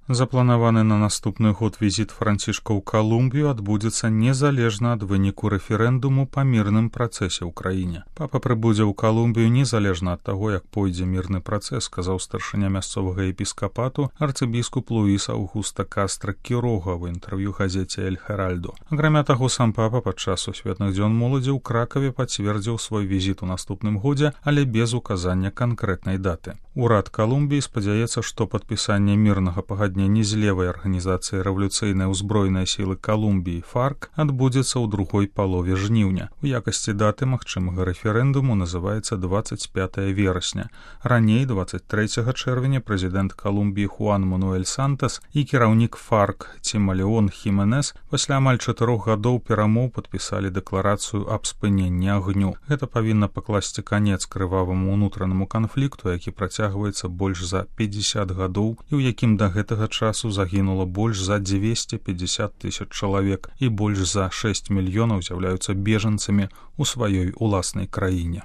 Запланаваны на наступны год візіт Францішка ў Калумбію адбудзецца незалежна ад выніку рэферэндуму па мірным працэсе ў краіне. Папа прыбудзе ў Калумбію незалежна ад таго, як пойдзе мірны працэс, сказаў старшыня мясцовага епіскапату арцыбіскуп Луіс Аўгуста Кастра Кірога ў інтэрв'ю газеце «Эль Херальдо». Акрамя таго, сам папа падчас сусветных дзён моладзі ў Кракаве пацвердзіў свой візіт у наступным годзе, але без указання канкрэтнай даты. Урад Калумбіі спадзяецца, што падпісанне мірнага пагаднення з левай арганізацыі рэвалюцыйнай узброенай сілы Калумбіі ФАРК адбудзецца ў другой палове жніўня. У якасці даты магчымага рэферэндуму называецца 25 верасня. Раней, 23 чэрвеня, прэзідэнт Калумбіі Хуан Мануэль Сантас і кіраўнік ФАРК Цімалеон Хіменес пасля амаль 4 гадоў перамоў падпісалі дэкларацыю аб спыненні агню. Гэта павінна пакласці канец крываваму ўнутранаму канфлікту, які працягваецца больш за 50 гадоў і ў якім да гэтага часу загінула больш за 250 тысяч чалавек і больш за 6 мільёнаў з'яўляюцца бежанцамі ў сваёй уласнай краіне.